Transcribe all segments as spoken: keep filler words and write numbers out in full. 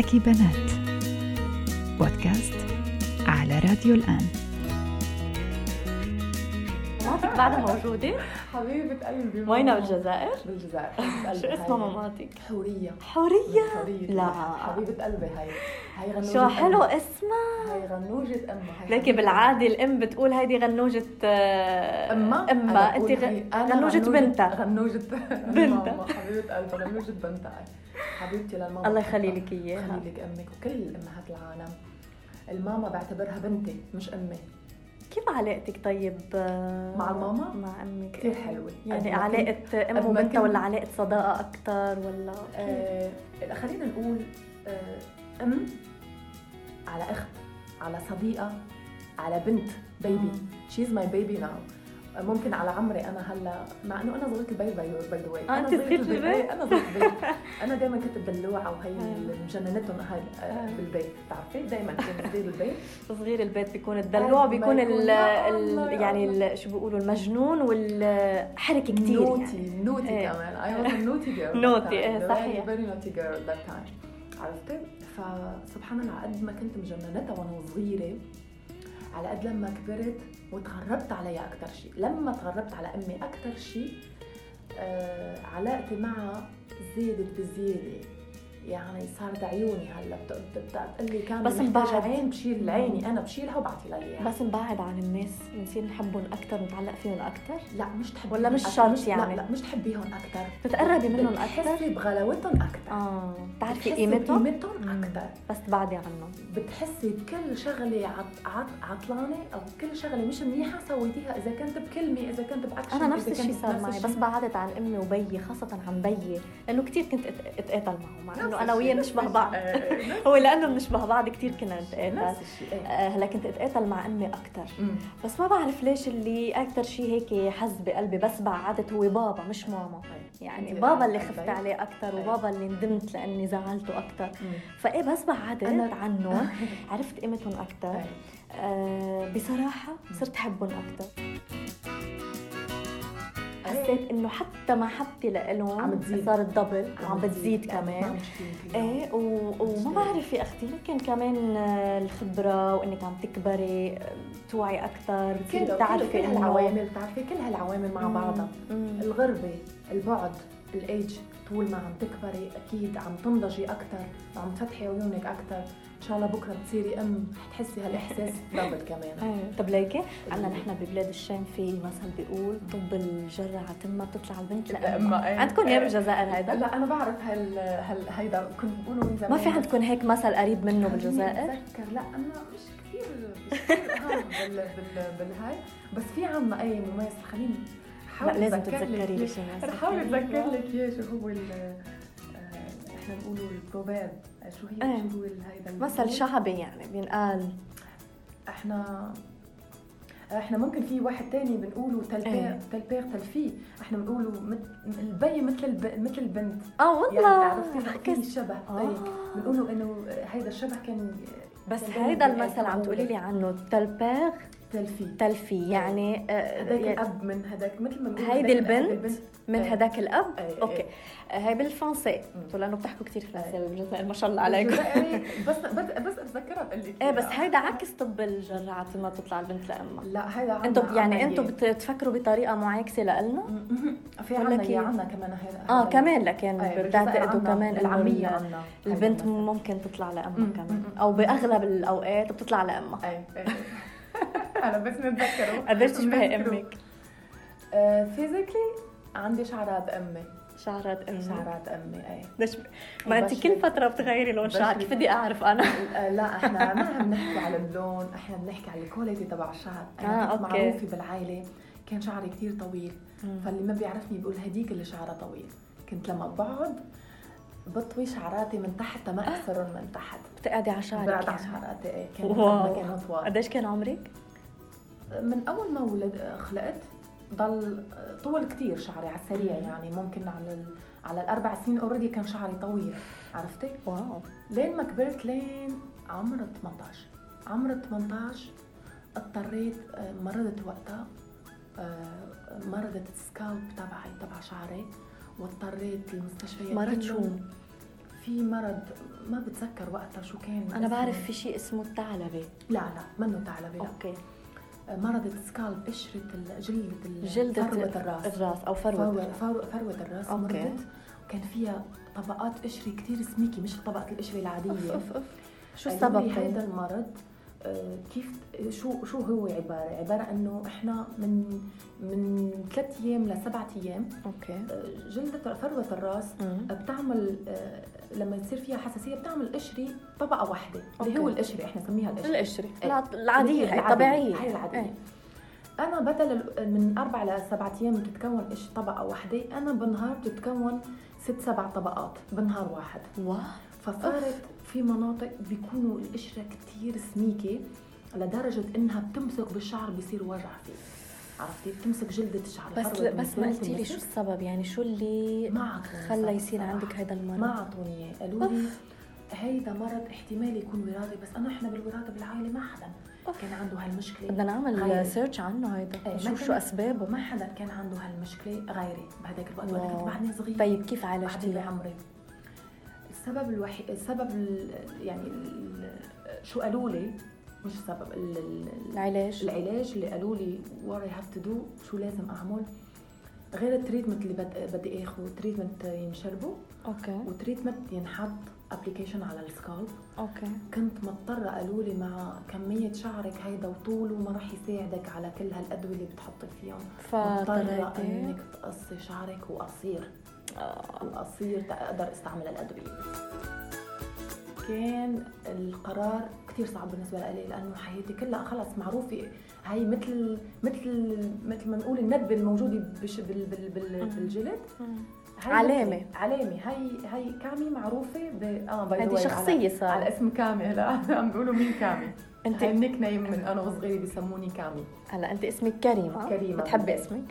حكي بنات بودكاست على راديو الآن. مامتك بعدها موجودة؟ حبيبة قلبي. وينها بالجزائر؟ بالجزائر. شو اسمها مامتك؟ حورية. حورية؟ حورية. لا حبيبة قلبي هاي. هاي غنوجة. شو حلو اسمها. هاي غنوجة أمها. لكن بالعادة الأم بتقول هيدي غنوجة أمها. أمها أنت غنوجة بنتها. غنوجة بنتها. حبيبة قلبي غنوجة بنتها. حبيبتي للماما. الله يخلي لك إياها. يخلي لك أمك وكل أمهات العالم. الماما بعتبرها بنتي مش أمي. كيف علاقتك طيب مع الماما؟ مع أمك كثير حلوة. يعني علاقة أم وبنتها ولا علاقة صداقة أكتر ولا؟ آه خلينا نقول آه أم على أخت على صديقة على بنت بيبي. she's my baby now. ممكن على عمري أنا هلا مع إنه أنا صغيرة البيت باي باي ذا واي. أنا صغيرة البيت. أنا صغيرة البيت. أنا دائما كنت دلوعة وهي مجننتهم هاي بالبيت. بتعرفي دائما كنت صغير البيت. صغير البيت بيكون الدلوع بيكون ال ال يعني شو بيقولوا المجنون والحركة كتير. نوتي نوتي كمان. I was a naughty girl. نوتي إيه صحيح. very naughty girl that time. عرفتي؟ فسبحان الله قد ما كنت مجننتها وأنا صغيرة على قد لما كبرت وتغربت عليها أكتر شيء. لما تغربت على أمي أكتر شيء آه علاقتي معها زادت بزيادة. يعني صارت عيوني هلا بتقول لي كان بس مبعد عين بشيل عيني أنا بشيلها وبعطي لها إياها. بس مبعد عن الناس بنصير نحبهم أكتر نتعلق فيهم أكتر. لا مش تحبي ولا مش شرط يعني. لا, لا مش تحبيهم أكتر. تتقربي منهم أكتر. بتحسي بغلاوتهم أكتر. آه بتعرفي قيمتهم. قيمتهم أكتر. بس تبعدي عنهم. بتحسي بكل شغلة عط عط عطلانة أو كل شغلة مش منيحة سويتيها إذا كنت بكلمة إذا كنت بأكشن. أنا نفس الشيء صار معي بس بعدت عن أمي وبيي خاصة عن بيي لأنه كتير كنت أتقاتل معه مع إنه أنا وياه نشبه بعض. هو لأنه بنشبه بعض كتير كنا نتقاتل. هلا كنت أتقاتل مع أمي أكتر. بس ما بعرف ليش اللي أكتر شيء هيك حز بقلبي بس بعدت هو بابا مش ماما. يعني بابا اللي خفت عليه أكتر وبابا اللي ندمت لأني زعلته أكتر. فإيه بس بعدت عنه عرفت قيمتهم أكتر. آه بصراحة صرت أحبهم أكتر. حسيت إنه حتى محبتي لإلهم صارت دبل وعم بتزيد كمان. إيه وما بعرف يا أختي يمكن كمان الخبرة وإنك عم تكبري توعي أكتر بتعرفي كل هالعوامل. بتعرفي كل هالعوامل مع بعضها. الغربة البعد الأيج طول ما عم تكبري أكيد عم تنضجي أكتر وعم تفتحي عيونك أكتر. إن شاء الله بكرة بتصيري أم حتحسي هالإحساس دبل كمان. أيه. طب ليكي عنا نحن ببلاد الشام في مثل بيقول طب الجرة عتمة بتطلع البنت لأمها. أيه. عندكم إياه بالجزائر هيدا؟ لا أنا بعرف هال هال هيدا كنت بقوله من زمان. ما في عندكم هيك مثل قريب منه بالجزائر؟ بتذكر لا أنا مش كثير مش كثير أهم بال بال بالهاي بس في عنا أي مميز. خليني لا لازم تتذكري لي شيء. رح أحاول أتذكر لك إياه شو هو ال إحنا بنقوله البروفيرب. شو هي أيه. شو هو هيدا مثل شعبي يعني بينقال. إحنا إحنا ممكن في واحد تاني بنقوله تلبير أيه. تلبير تلفي. إحنا بنقوله البي مثل الب... مثل البنت. آه والله. يعني عرفتي في شبه هيك. بنقوله إنه هيدا الشبه كان. بس هيدا المثل عم تقولي لي عنه تلبير تلفي تلفي يعني هداك يعني الاب من هداك مثل ما هيدي البنت من هداك الاب. أي اوكي هاي بالفرنسي لانه بتحكوا كثير فرنسي بالجزائر ما شاء الله عليكم. بس بس اتذكرها بقول لك ايه بس هيدا عكس طب الجرعه ما تطلع البنت لامها. لا هيدا انتم يعني انتم بتفكروا بطريقه معاكسه لنا في عنا يا عنا كمان هيدا اه كمان لكن بتعتقدوا كمان العميه عنا البنت ممكن تطلع لامها كمان او باغلب الاوقات بتطلع لامها. اي أنا بس نتذكره. قدرت تشبهي أمك؟ فيزيكلي عندي شعرات أمي. شعرات أمي. شعرات أمي أي. ليش؟ ما أنت كل فترة بتغيري لون شعر كيف بدي أعرف أنا؟ لا إحنا ما عم نحكي على اللون إحنا بنحكي على الكواليتي تبع الشعر. أنا آه كنت معروفة بالعائلة كان شعري كتير طويل. مم. فاللي ما بيعرفني بيقول هديك اللي شعرها طويل. كنت لما بقعد بطوي شعراتي من تحت ما أكسرهم من تحت. بتقعدي على شعرك؟ بقعد على شعراتي إيه. كان ما كانوا طوال. قديش كان عمرك؟ من أول ما ولد خلقت ضل طول كتير شعري على السريع. يعني ممكن على ال... على الأربع سنين أوريدي كان شعري طويل. عرفتي؟ واو. لين ما كبرت لين عمر ثمانية عشر. عمر ثمانية عشر اضطريت مرضت وقتها مرضت السكالب تبعي تبع شعري واضطريت المستشفيات. مرض شو؟ في مرض ما بتذكر وقتها شو كان. انا بعرف في شيء اسمه الثعلبه. لا لا منه ثعلبه. لا اوكي. مرض سكالب، قشره جلد جلدة فروه الراس الراس او فروه فروه, فروة الراس. أوكي. مرضت وكان فيها طبقات قشري كتير سميكي، مش طبقه القشره العاديه. أف أف. شو السبب السبب هذا المرض؟ آه كيف شو شو هو عباره عباره انه احنا من من ثلاث ايام لسبعة ايام اوكي آه جلده فروه الراس مم. بتعمل آه لما يصير فيها حساسيه بتعمل قشري طبقه واحده اللي هو القشري، احنا نسميها القشري القشري إيه. العاديه هي الطبيعيه هي العاديه. ايه. انا بدل من اربع لسبعة ايام بتتكون قش طبقه واحده، انا بالنهار بتتكون ست سبع طبقات بنهار واحد. واو. فصارت في مناطق بيكونوا القشره كتير سميكه لدرجه انها بتمسك بالشعر بيصير وجع فيه، عرفتي؟ بتمسك جلده الشعر. بس بس ما قلتي لي شو السبب، يعني شو اللي ما خلى يصير عندك هذا المرض؟ ما اعطوني اياه، قالوا لي هيدا مرض احتمال يكون وراثي، بس انا احنا بالوراثه بالعائله ما حدا كان عنده هالمشكله. بدنا نعمل غيري. سيرش عنه هيدا ايه نشوف شو اسبابه. ما حدا كان عنده هالمشكله غيري بهداك الوقت وانا كنت بعدني صغيره. طيب كيف بعدني عالجتيها؟ بعمري. السبب الوحيد السبب ال... يعني ال... شو قالوا لي مش السبب ال... العلاج العلاج اللي قالوا لي what I have to do، شو لازم اعمل غير التريتمنت اللي بد... بدي اخذه. تريتمنت ينشربه اوكي وتريتمنت ينحط ابلكيشن على السكالب. اوكي. كنت مضطره قالوا لي مع كميه شعرك هيدا وطوله ما راح يساعدك على كل هالادويه اللي بتحطي فيهم، مضطره انك تقصي شعرك وقصير آه. وقصير تقدر استعمل الادويه. كان القرار كتير صعب بالنسبه لي لانه حياتي كلها خلص معروفه هاي مثل مثل مثل ما نقول الندبه الموجوده بش بال بال بال بالجلد. علامه علامه هاي هاي كامي معروفه ب اه باي هذه شخصيه صار على اسم كامي. هلا عم بيقولوا مين كامي. انت هاي النيك نيم من انا وصغيره بيسموني كامي. هلا انت اسمك كريمه. كريمه بتحبي اسمك؟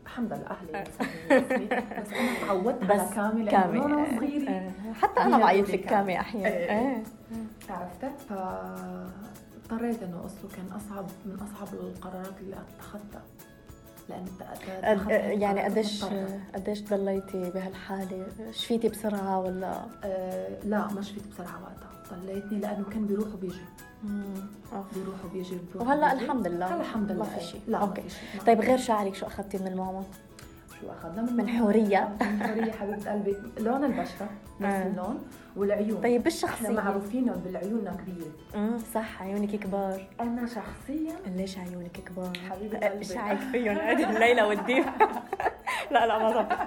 الحمد لله اهلي بيسموني بس انا تعودت على كامي لانه انا صغيره. حتى انا بعيط لك كامي احيانا. ايه عرفتك. ف اضطريت انه اقصه. كان اصعب من اصعب القرارات اللي اتخذتها لأن أد... يعني قديش قديش ضليتي بهالحالة؟ شفيتي بسرعة ولا؟ أه لا ما شفيت بسرعة وقتها، ضليتني لأنه كان بيروح وبيجي. امم بيروح وبيجي وهلا الحمد لله الحمد لله ما في شيء. لا اوكي. طيب غير شعرك شو أخذتي من الماما؟ شو أخذنا من, من حورية؟ من حورية حبيبة قلبي. لون البشرة نفس اللون والعيون. طيب بالشخصية احنا معروفين بالعيوننا كبيرة. امم صح عيونك كبار. أنا شخصيا ليش عيونك كبار؟ حبيبة قلبي ايش رايك فيهم؟ ادي الليلة والديب. لا لا ما ضبط.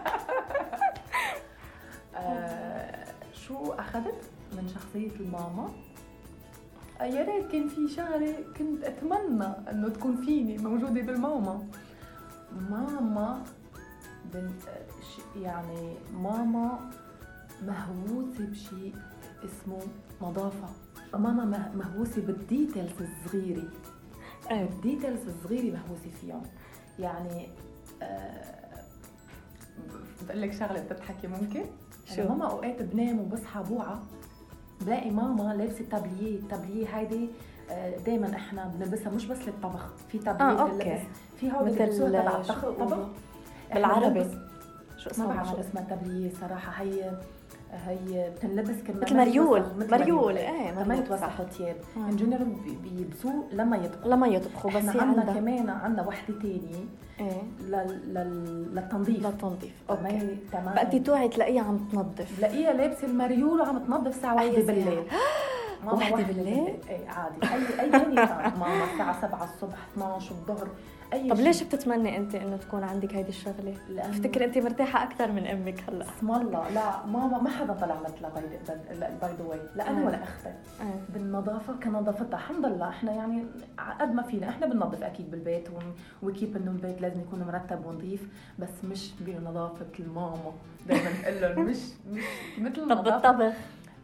آه شو أخذت من شخصية الماما؟ يا ريت كان في شغله كنت اتمنى انه تكون فيني موجوده بالماما. ماما بنت يعني ماما مهووسه بشيء اسمه نظافه. ماما مهووسه بالديتيلز الصغيره. ايه الديتيلز الصغيره مهووسه فيهم. يعني أه بقول لك شغله بتضحكي ممكن. شو ماما اوقات بنام وبصحى بوعى بلاقي ماما لابسه تابليه. التابليه هيدي دائما احنا بنلبسها مش بس للطبخ. في تابليه اه اوكي في هول مثل تبع الطبخ بالعربي شو اسمها؟ ما بعرف شو اسمها تابليه صراحه. هي هي بتنلبس كمان مثل مريول. مريول ايه ما يتوسخوا ثياب ان جنرال بيلبسوه لما يطبخوا لما يطبخوا. بس عندنا كمان عندنا وحده ثانيه ايه للتنظيف. للتنظيف اوكي. تمام. بقتي توعي تلاقيها عم تنظف. تلاقيها لابسه المريول وعم تنظف الساعه واحدة بالليل. واحدة بالليل؟ ايه عادي. اي اي ثاني ماما الساعه سبعة الصبح اثنعش الظهر اي. طب ليش بتتمني انت انه تكون عندك هيدي الشغله؟ بفتكر انت مرتاحه اكثر من امك هلا. اسم الله. لا ماما ما حدا طلع مثلها باي ذا واي لا انا ولا اختي. بالنظافه كنظافتها الحمد لله. احنا يعني قد ما فينا احنا بننظف اكيد بالبيت وكيف انه البيت لازم يكون مرتب ونظيف بس مش بنظافه الماما. دائما نقول لهم مش مش مثل طب الطبخ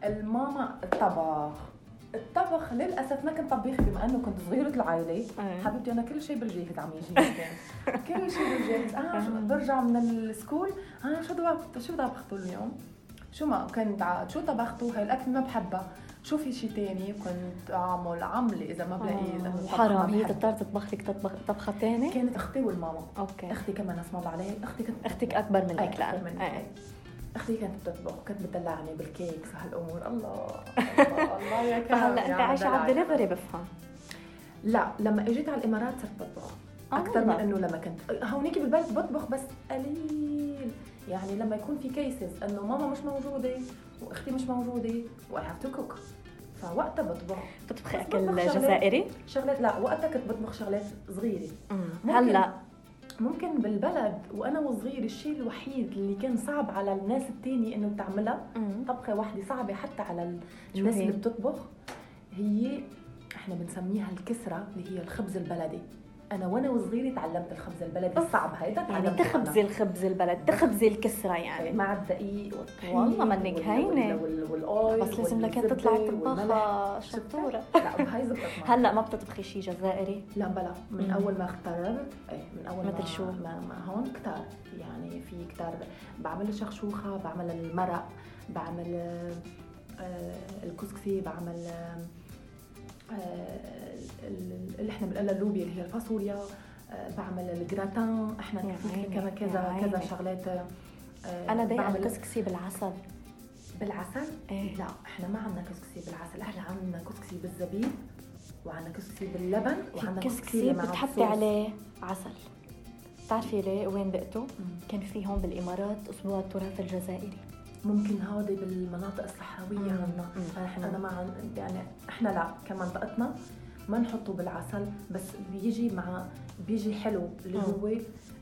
الماما. الطبخ الطبخ للاسف ما كنت طبيخ بما انه كنت صغيره العائله. حبيبتي انا كل شيء بالجاهز عم يجي. كل شيء بالجاهز. اه برجع من السكول اه شو طبخت شو طبختوا اليوم؟ شو ما كنت عاد شو طبختوا؟ هاي الاكل ما بحبها. شو في شيء تاني كنت اعمل عملي اذا ما بلاقي انه حرام. هي تضطر تطبخ لك تطبخ طبخه ثانيه. كانت اختي والماما. اوكي. اختي كمان اسمها عليها. اختي كنت اختك اكبر منك لأن اختي كانت بتطبخ وكانت بتدلعني بالكيكس وهالامور. الله الله, الله يا كرم. فهلا انت عايشه على الدليفري بفهم. لا لما اجيت على الامارات صرت بطبخ اكثر من انه لما كنت هونيك بالبلد بطبخ بس قليل. يعني لما يكون في كيسز انه ماما مش موجوده واختي مش موجوده و I have to cook، فوقتها بطبخ. بتطبخي اكل جزائري؟ شغلات لا، وقتها كنت بطبخ شغلات صغيره. هلا ممكن بالبلد وانا وصغير الشيء الوحيد اللي كان صعب على الناس التاني انه تعملها طبخه واحده صعبه حتى على الناس اللي بتطبخ، هي احنا بنسميها الكسره اللي هي الخبز البلدي. انا وانا وصغيره تعلمت الخبز البلدي الصعب هيدا، يعني تخبزي الخبز البلد، تخبزي الكسره يعني مع الدقيق والطحين. والله منك هينه والاويل، بس لازم لك تطلعي طباخه شطوره. لا بهاي زبطت. هلا ما بتطبخي شيء جزائري؟ لا بلا، من مم. اول ما اخترت ايه من اول مثل شو ما, ما هون كتار، يعني في كتار بعمل الشخشوخه، بعمل المرق، بعمل آه الكسكسي، بعمل آه اللي احنا بنقلها اللوبيا اللي هي الفاصوليا، آه بعمل الجراتان. احنا في كذا كذا كذا شغلات. آه انا بعمل كسكسي بالعسل. بالعسل؟ ايه؟ لا احنا ما عندنا كسكسي بالعسل، احنا عندنا كسكسي بالزبيب وعندنا كسكسي باللبن وعندنا كسكسي بتحطي عليه عسل. بتعرفي ليه وين دقته؟ كان في هون بالامارات اسبوع التراث الجزائري. ممكن هذه بالمناطق الصحراويه عندنا. احنا انا مع يعني احنا لا كمنطقتنا ما نحطه بالعسل، بس بيجي مع بيجي حلو اللي هو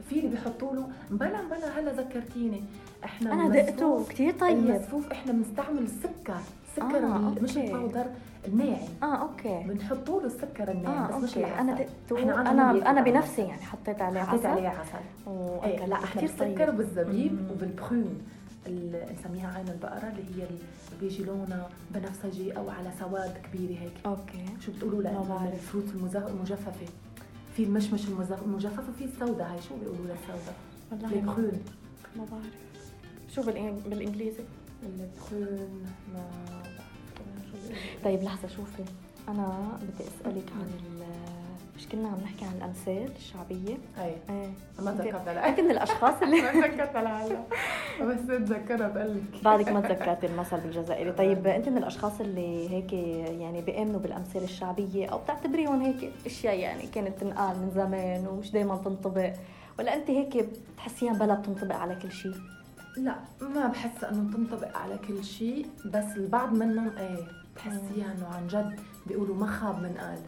في اللي بيحطوا له بلا بلا. هلا ذكرتيني، احنا انا دقته كثير طيب. المسفوف احنا بنستعمل السكر، سكر آه، مش الباودر الناعم. اه اوكي بنحطوا له السكر الناعم. آه، بس مش العسل. انا دقته، انا انا بنفسي يعني حطيت عليه حطيت عليه عسل. ايه لا احنا السكر بالزبيب وبالبخون نسميها عين البقرة اللي هي اللي بيجي لونها بنفسجي او على سواد كبيره هيك. اوكي شو بتقولوا لها؟ الفروت المجففه، في المشمش المجفف وفي السوداء. هاي شو بيقولوا لها السوداء؟ والله البخون. ما بعرف شو بالانجليزي البخون. ما طيب لحظه شوفي، انا بدي اسالك عن مش كنا عم نحكي عن الامثال الشعبيه؟ اي ايه ما تذكرتها. لا انت من الاشخاص اللي ما تذكرتها لهلا، بس اتذكرها بقول لك بعدك ما تذكرتي المثل بالجزائري. طيب انت من الاشخاص اللي هيك يعني بيامنوا بالامثال الشعبيه او بتعتبريهم هيك اشياء يعني كانت تنقال من زمان ومش دائما تنطبق، ولا انت هيك بتحسيها بلا بتنطبق على كل شيء؟ لا ما بحس انه تنطبق على كل شيء، بس البعض منهم ايه بتحسيها انه عن جد بيقولوا ما خاب من قال.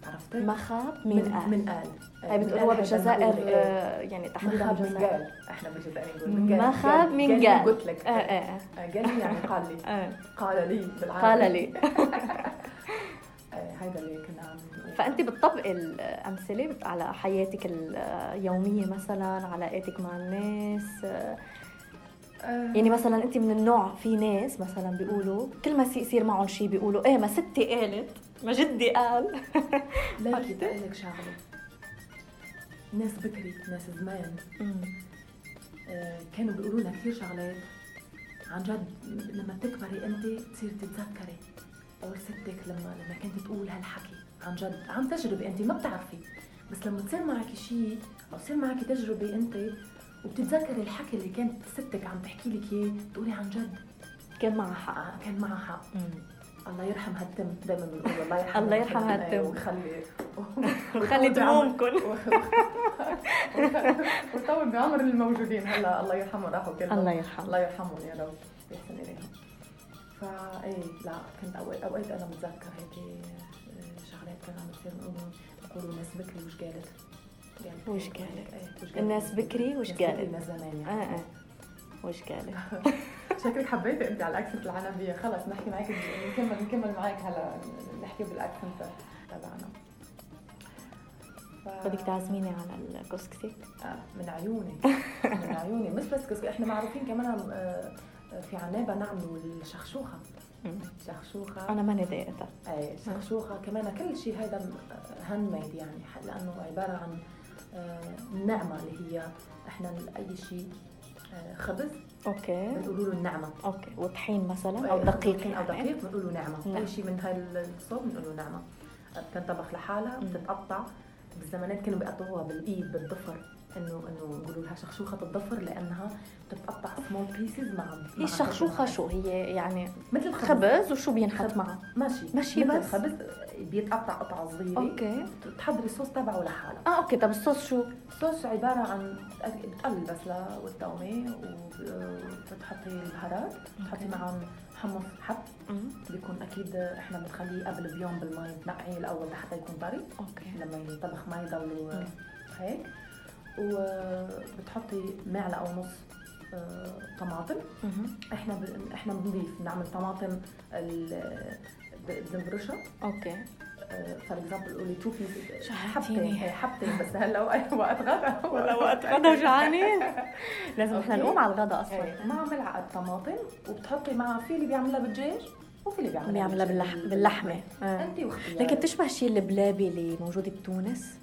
عرفتي؟ ما خاب من قال. من قال اي بتقولوها بالجزائر يعني تحديدا بالجزائر. احنا بالجزائر نقول من قال. ما خاب من قال. قلت لك اه اه قال لي يعني قال لي. قال لي بالعربي. قال لي. هيدا اللي كنا عم نقول. فانت بتطبقي الامثله على حياتك اليوميه، مثلا علاقاتك مع الناس؟ يعني مثلا انت من النوع في ناس مثلا بيقولوا كل ما يصير معهم شيء بيقولوا ايه ما ستي قالت، ما جدي قال. لا بدي اقول لك شغله، ناس بكري ناس زمان آه كانوا بيقولوا لنا كثير شغلات عن جد لما تكبري انت تصير تتذكري. او ستك لما لما كنت تقول هالحكي عن جد عن تجربه انت ما بتعرفي، بس لما تصير معك شيء او تصير معك تجربه انت وبتتذكري الحكي اللي كانت ستك عم تحكي لك اياه تقولي عن جد كان معها حق. آه كان معها حق. الله يرحم هالتم، دائما بنقول الله يرحم الله يرحم هالتم وخلي وخلي دمومكم وطول بعمر الموجودين. هلا الله يرحمهم راحوا كلهم. الله يرحم الله يرحمهم يا رب يحسن اليهم. فاي لا كنت اوقات اوقات انا بتذكر هيك شغلات كانوا عم بتصير نقولوا بيقولوا ناس بكري وش قالت وش قالت الناس بكري وش قالت الناس زمان يعني. اه اه وش قالت. شكلك حبيتي انت على الاكسنت العنبيه. خلص نحكي معك نكمل نكمل معك هلا نحكي بالاكسنت تبعنا. ف... بدك تعزميني على الكسكسي؟ آه من عيوني من عيوني. مش بس كسكسي، احنا معروفين كمان آه في عنابه نعملوا الشخشوخه. شخشوخه انا ماني ضايقتها. اي شخشوخه كمان كل شيء هذا هاند ميد يعني، لانه عباره عن النعمه اللي هي احنا اي شيء خبز اوكي بنقولوا له النعمه. اوكي وطحين مثلا او دقيق او دقيق بنقول له نعمه. نعم. اي شيء من هاي الصوب بنقول له نعمه. بتنطبخ لحالها بتتقطع. بالزمانات كانوا بيقطعوها بالايد بالضفر انه انه نقولوا لها شخشوخه الضفر لانها بتتقطع سمول بيسز مع هي الشخشوخه شو هي يعني؟ مثل الخبز, خبز وشو بينحط معه؟ ماشي ماشي مثل بس الخبز بيتقطع قطعه صغيره. اوكي. بتحضري الصوص تبعه لحاله. اه اوكي. طب الصوص شو؟ الصوص عباره عن بتقلي البصله والثومه وبتحطي البهارات، بتحطي معهم حمص حب بيكون اكيد احنا بنخليه قبل بيوم بالمي بنقعيه الاول لحتى يكون طري. اوكي. لما ينطبخ ما يضلوا هيك. وبتحطي معلقه ونص طماطم. احنا ب... احنا بنضيف بنعمل طماطم بنبرشها. اوكي. فور اكزامبل قولي تو بيس حبتين حبتين بس هلا وقت غدا ولا وقت غدا وجعانين لازم احنا نقوم على الغدا اصلا. مع ملعقه طماطم وبتحطي معها في اللي بيعملها بالدجاج وفي اللي بيعملها بيعملها باللحم باللحمه. انت واختيارك. لكن بتشبه شيء البلابي اللي موجود بتونس.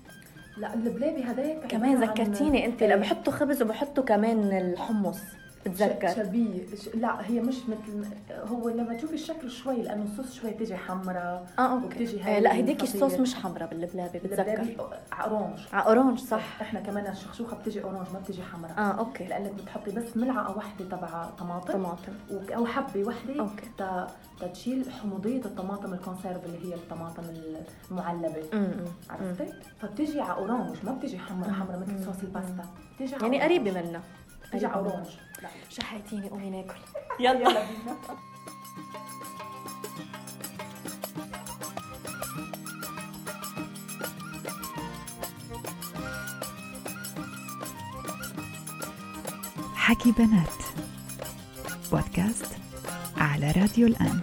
لا البلابي هداك كمان ذكرتيني انت لما بحطوا خبز وبحطوا كمان الحمص بتذكر شبيه. لا هي مش مثل هو لما تشوفي الشكل شوي لانه الصوص شوي بتيجي حمراء. اه اوكي. آه لا هديك الصوص مش حمراء بالبلابي بتذكر اورانج. اه اورانج صح. احنا كمان الشخشوخه بتيجي اورانج ما بتيجي حمراء. اه اوكي. لانك بتحطي بس ملعقه واحده تبع طماطم طماطم او حبه واحده اوكي تا تشيل حموضيه الطماطم الكونسيرف اللي هي الطماطم المعلبه. عرفتي؟ فبتيجي على اورانج ما بتيجي حمراء حمراء مثل صوص الباستا. بتيجي يعني قريبه منها. بتيجي على اورانج. شحيتيني قومي ناكل. يلا يلا بينا. حكي بنات بودكاست على راديو الآن.